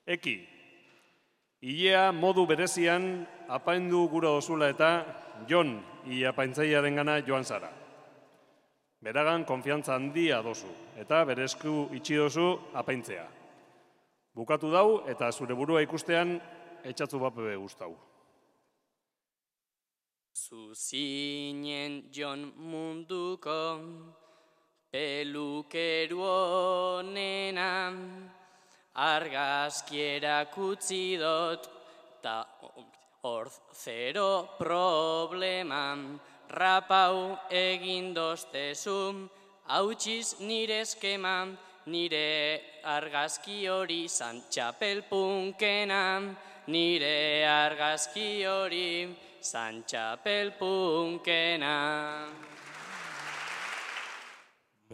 Eki, ilea modu berezian apaindu gura dozula eta Jon apaintzailearen gana joan zara. Beragan konfiantza handia dozu eta bere esku itxi dozu apaintzea. Bukatu dau eta zure burua ikustean etxatzu bape guztau. Zuzinen Jon munduko pelukeru honena, argazkierak utzi dot, ta hor zero problema, rapau egin doztezu, hautsiz nire eskema, nire argazki hori zan txapelpunkena, nire argazki hori zan txapelpunkena.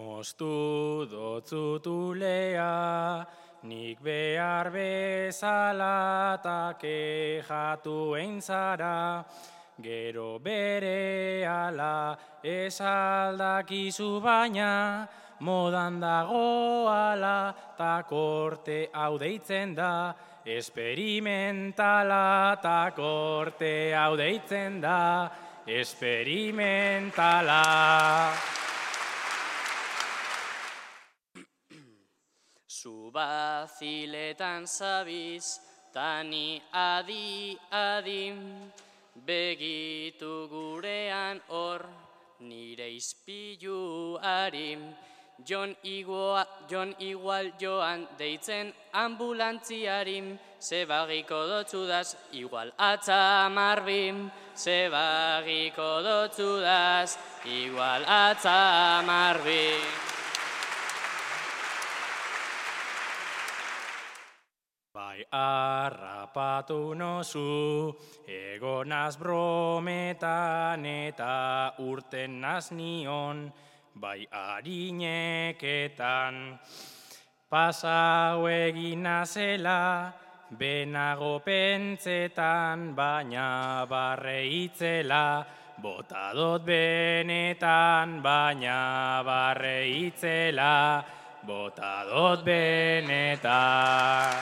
Moztu dotzutulea, nik behar bezala ta kejatu eintzara, gero bere ala esaldakizu baina, modan dagoala ta korte hau deitzen da, esperimentala ta korte hau deitzen da, esperimentala. Zu baziletan zabiz, tani adi, begitu gurean hor, nire izpiluari. Jon igual joan deitzen ambulantziari, zebagiko dotzudaz igual atzamarbi, zebagiko dotzudaz igual atzamarbi. Bai harrapatu nozu, egonaz brometan eta urten naz nion, bai harineketan. Pasau egin nazela, benago pentsetan, baina barreitzela, bota dot benetan, baina barreitzela, bota dot benetan.